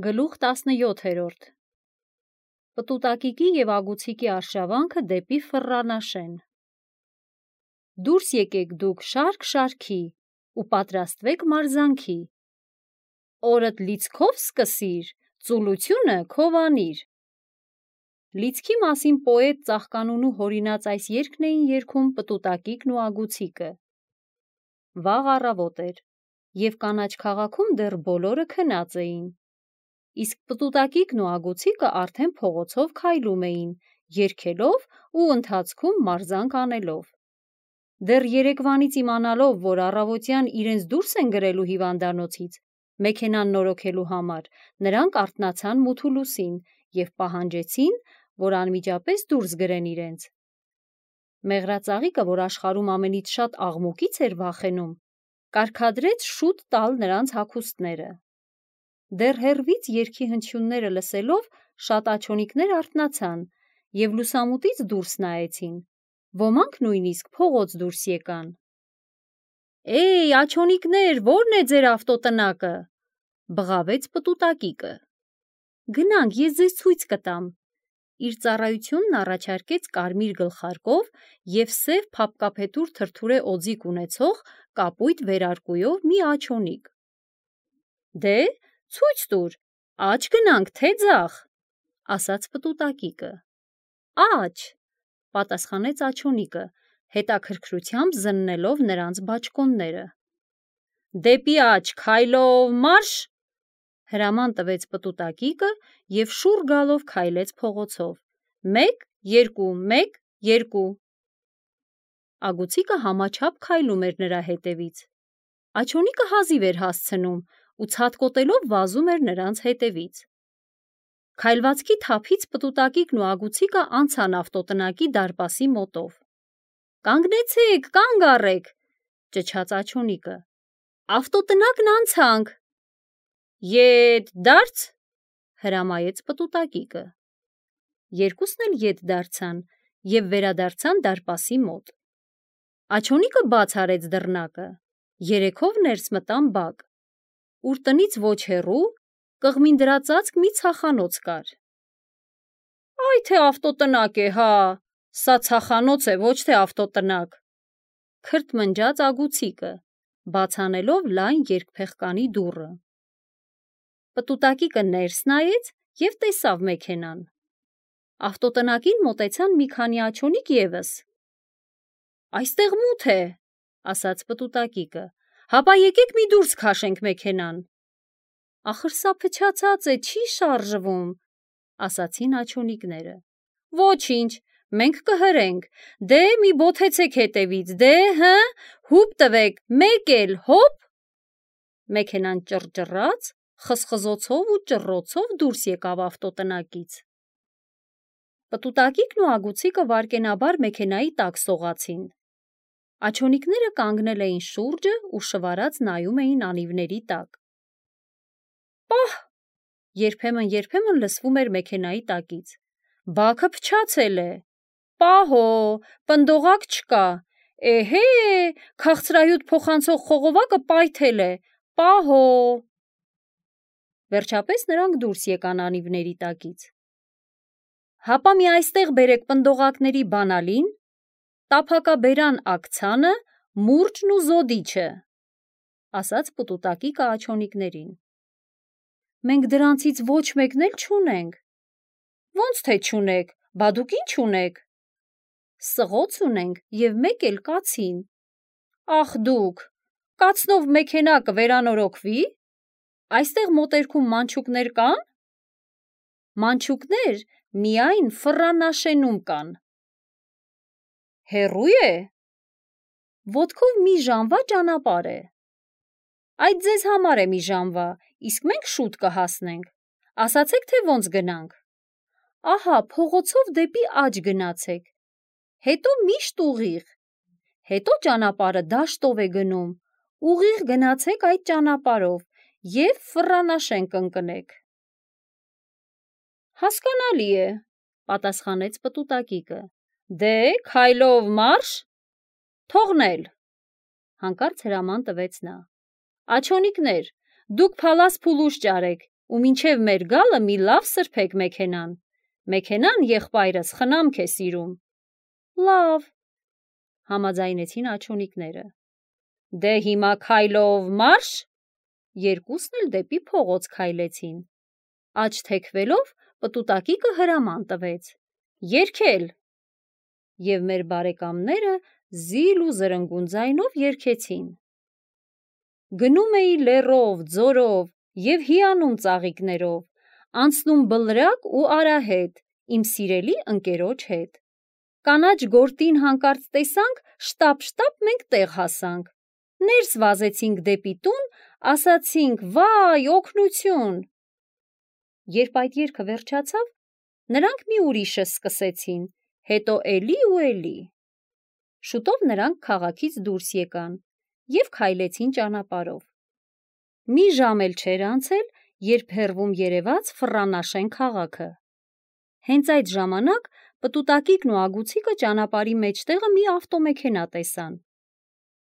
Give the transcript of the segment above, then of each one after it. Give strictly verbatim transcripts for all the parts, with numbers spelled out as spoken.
Գլուխ տասնյոթերորդ Պտուտակիկի և ագուցիկի արշավանքը դեպի Ֆռռանաշեն։ Դուրս եկեք դուք շարք շարքի ու պատրաստվեք մարզանքի։ Օրդ լիցքով սկսիր, ծուլությունը քով անիր։ Լիցքի մասին պոետ Ծաղկանունու հորինած այս երգն էին երգում Պտուտակիկն ու ագուցիկը։ Վաղ առավոտ էր, և կանաչ քաղաքում դեռ բոլորը քնած էին։ Իսկ Պտուտակիկն ու ագուցիկը արդեն փողոցով քայլում էին, երգելով ու ընթացքում մարզանք անելով։ Դեռ երեկվանից իմանալով, որ առավոտյան իրենց դուրս են գրելու հիվանդանոցից, մեքենան նորոգելու համար, նրանք արթնացան մութուլուսին և պահանջեցին, որ անմիջապես դուրս գրեն իրենց։ Մեղրածաղիկը, որ աշխարհում ամենից շատ աղմուկից էր վախենում, կարգադրեց շուտ տալ նրանց հագուստները։ Դեռ հեռվից երգի հնչյունները լսելով, շատ աչոնիկներ արթնացան և լուսամուտից դուրս նայեցին, ոմանք նույնիսկ փողոց դուրս եկան։ «Էյ, աչոնիկներ, ո՞րն է ձեր ավտոտնակը», բղավեց Պտուտակիկը։ «Գնանք, ես ձեզ ցույց կտամ», իր ծառայությունն առաջարկեց կարմիր գլխարկով և սև փափկափետուր թրթուրե օձիք ունեցող կապույտ վերարկուով մի աչոնիկ։ «Դե, ցույց տուր, աջ գնանք, թե ձախ», ասաց Պտուտակիկը։ «Աջ», պատասխանեց աչոնիկը, հետաքրքրությամբ զննելով նրանց բաճկոնները։ «Դեպի աջ քայլով մարշ», հրաման տվեց Պտուտակիկը և շուռ գալով քայլեց փողոցով։ «Մեկ, երկու, մեկ, երկու»։ Ագուցիկը համաչափ քայլում էր նրա հետևից։ Աչոնիկը հազիվ էր հասցնում ու ցատկոտելով վազում էր նրանց հետևից։ Քայլվածքի թափից Պտուտակիկն ու ագուցիկը անցան ավտոտնակի դարպասի մոտով։ «Կանգնեցեք, կանգ առեք», ճչաց աչոնիկը։ «Ավտոտնակն անցանք»։ «Ետ դարձ», հրամայեց Պտուտակիկը։ Երկուսն էլ ետ դարձան և վերադարձան դարպասի մոտ։ Աչոնիկը բաց արեց դռնակը, երեքով ներս մտան բակ, ուր տնից ոչ հեռու կղմին դրածածկ մի ցախանոց կար։ «Այ թե ավտոտնակ է, հա, սա ցախանոց է, ոչ թե ավտոտնակ», քրթմնջաց ագուցիկը, բաց անելով լայն երկփեղկանի դուռը։ Պտուտակիկը ներս նայեց և տեսավ մեքենան։ Ավտոտնակին մոտեցան մի քանի աչոնիկ ևս։ «Այստեղ մութ է», ասաց Պտուտակիկը, «հապա եկեք մի դուրս քաշենք մեքենան»։ «Ախր սա փչացած է, չի շարժվում», ասացին աչոնիկները։ «Ոչինչ, մենք կհրենք, դե մի բոթեցեք հետևից, դե, հը, հուպ տվեք, մեկ էլ, հոպ»։ Մեքենան ճռճռաց, խզխզոցով ու ճռռոցով դուրս եկավ ավտոտնակից։ Պտուտակիկն ու ագուցիկը վայրկենաբար մեքենայի տակ սողացին։ Աչոնիկները կանգնել էին շուրջը ու շվարած նայում էին անիվների տակ։ «Պահ», երբեմն-երբեմն լսվում էր մեքենայի տակից, «բաքը փչացել է»։ «Պահո, պնդողակ չկա»։ «Էհե, քաղցրահյութ փոխանցող խողովակը պայթել է, պահո»։ Վերջապես նրանք դուրս եկան անիվների տակից։ «Հապա մի այստեղ բերեք պնդողակների բանալին, տափակաբերան աքցանը, մուրճն ու զոդիչը», ասաց Պտուտակիկը աչոնիկներին։ «Մենք դրանցից ոչ մեկն էլ չունենք»։ «Ոնց թե չունեք, բա դուք ի՞նչ ունեք»։ «Սղոց ունենք և մեկ էլ կացին»։ «Ախ դուք, կացնով մեքենա կվերանորոգվի՞։ Այստեղ մոտերքում մանչուկներ կա՞ն»։ «Մանչուկներ միայն Ֆռռանաշենում կան»։ «Հեռու՞ է»։ «Ոտքով մի ժամվա ճանապարհ է»։ «Այդ ձեզ համար է մի ժամվա, իսկ մենք շուտ կհասնենք։ Ասացեք, թե ոնց գնանք»։ «Ահա փողոցով դեպի աջ գնացեք, հետո միշտ ուղիղ, հետո ճանապարհը դաշտով է գնում, ուղիղ գնացեք այդ ճանապարհով և Ֆռռանաշեն կընկնեք»։ «Հասկանալի է», պատասխանեց Պտուտակիկը։ «Դե, քայլով մարշ»։ «Թողնել», հանկարծ հրաման տվեց նա։ «Աչոնիկներ, դուք փալաս փուլուշ ճարեք ու մինչև մեր գալը մի լավ սրբեք մեքենան, մեքենան եղբայրս խնամք է սիրում։ Լավ, համաձայնեցին աջունիկները։ Դե հիմա քայլով մարշ, երկուսն էլ դեպի փողոց քայլեցին։ Աջ թեքվելով պտուտակիկը հրաման տվեց. Երգել։ Եվ մեր բարեկամները զիլ ու զրնգուն ձայնով երգեցին։ Գնում էի լեռով, ձորով և հիանում ծաղիկներով, անցնում բլրակ ու արահետ, իմ սիրելի ընկերոջ հետ։ Կանաչ գորտին հանկարծ տեսանք, շտապ-շտապ մենք տեղ հասանք։ Ներս վազեցինք դեպի տուն, ասացինք վայ, օգնություն։ Երբ այդ երգը վերջացավ, նրանք մի ուրիշը սկսեցին, հետո էլի ու էլի։ Շուտով նրանք քաղաքից դուրս եկան և քայլեցին ճանապարհով։ Մի ժամ էլ չէր անցել, երբ հեռվում երևաց Ֆռռանաշեն քաղաքը։ Հենց այդ ժամանակ պտուտակիկն ու ագուցիկը ճանապարհի մեջտեղը մի ավտոմեքենա տեսան։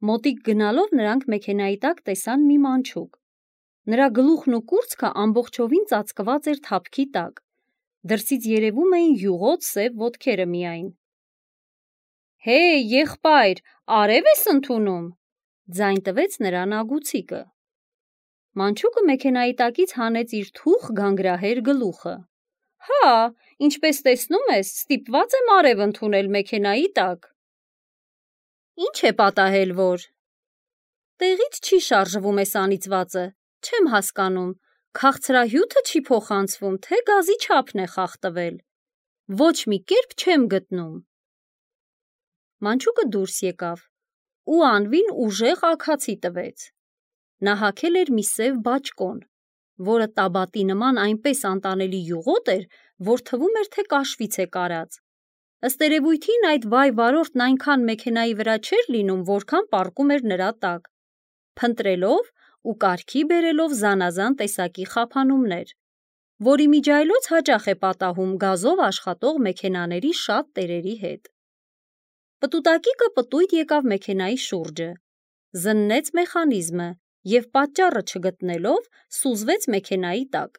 Մոտիկ գնալով նրանք մեքենայի տակ տեսան մի մանչուկ։ Նրա գլուխն ու կուրծքը ամբողջովին ծածկված էր թափքի տակ, դրսից երևում էին յուղոտ սև ոտքերը միայն։ Հեյ, եղբայր, արև ես ընդունում, ձայն տվեց նրան ագուցիկը։ Մանչուկը մեքենայի տակից հանեց իր թուխ գանգրահեր գլուխը։ Հա, ինչպես տեսնում ես, ստիպված եմ արև ընդունել մեքենայի տակ։ Ինչ է պատահել, որ… Տեղից չի շարժվում էս անիծվածը, չեմ հասկանում, քաղցրահյութը չի փոխանցվում, թե գազի չափն է խախտվել։ Ոչ մի կերպ չեմ գտնում։ Մանչուկը դուրս եկավ ու անվին ուժեղ աքացի տվեց։ Նա հագել էր մի սև բաճկոն, որը տաբատի նման այնպես անտանելի յուղոտ էր, որ թվում էր, թե կաշվից է կարած։ Ըստ երևույթին այդ վայ վարորդն այնքան մեքենայի վրա չէր լինում, որքան պառկում էր նրա տակ, փնտրելով ու կարգի բերելով զանազան տեսակի խափանումներ, որի միջայլոց հաճախ է պատահում գազով աշխատող մեքենաների շատ տերերի հետ։ Պտուտակիկը պտույտ եկավ մեքենայի շուրջը, զննեց մեխանիզմը և պատճառը չգտնելով սուզվեց մեքենայի տակ։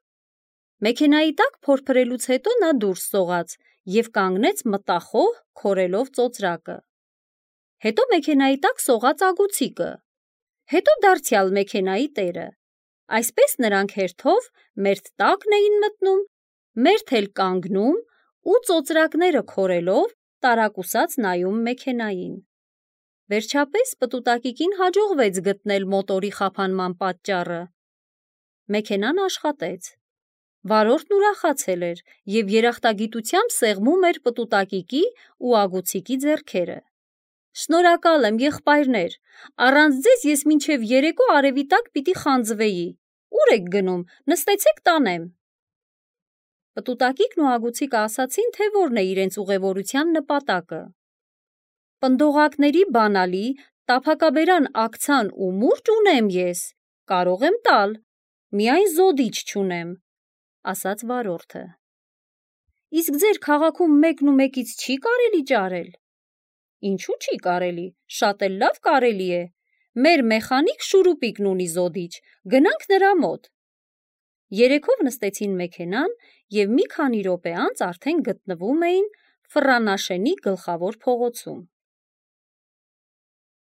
Մեքենայի տակ փորփրելուց հետո նա դուրս սողաց և կանգնեց մտախոհ քորելով ծոծրակը։ Հետո մեքենայի տակ սողաց ագուցիկը, հետո դարձյալ մեքենայի տերը։ Այսպես նրանք հերթով մերթ տակն էին մտնում, մերթ էլ կանգնում ու ծոծրակները քորելով տարակուսած նայում մեքենային։ Վերջապես պտուտակիկին հաջողվեց գտնել մոտորի խափանման պատճառը։ Մեքենան աշխատեց։ Վարորդն ուրախացել էր և երախտագիտությամբ սեղմում էր պտուտակիկի ու ագուցիկի ձեռքերը։ Շնորհակալ եմ, եղբայրներ, առանց ձեզ ես մինչև երեկո արևի տակ պիտի խանձվեի։ Ուր եք գնում, նստեցեք տանեմ։ Պտուտակիկն ու ագուցիկը ասացին, թե որն է իրենց ուղևորության նպատակը։ Պնդողակների բանալի, տափակաբերան աքցան ու մուրճ ունեմ ես, կարող եմ տալ, միայն զոդիչ չունեմ, ասաց վարորդը։ Իսկ ձեր քաղաքում մեկն ու մեկից չի կարելի ճարել։ Ինչու չի կարելի, շատ էլ լավ կարելի է։ Մեր մեխանիկ Շուրուպիկն ունի զոդիչ, գնանք նրա մոտ։ Երեքով նստեցին մեքենան և մի քանի րոպե անց արդեն գտնվում էին Ֆռռանաշենի գլխավոր փողոցում։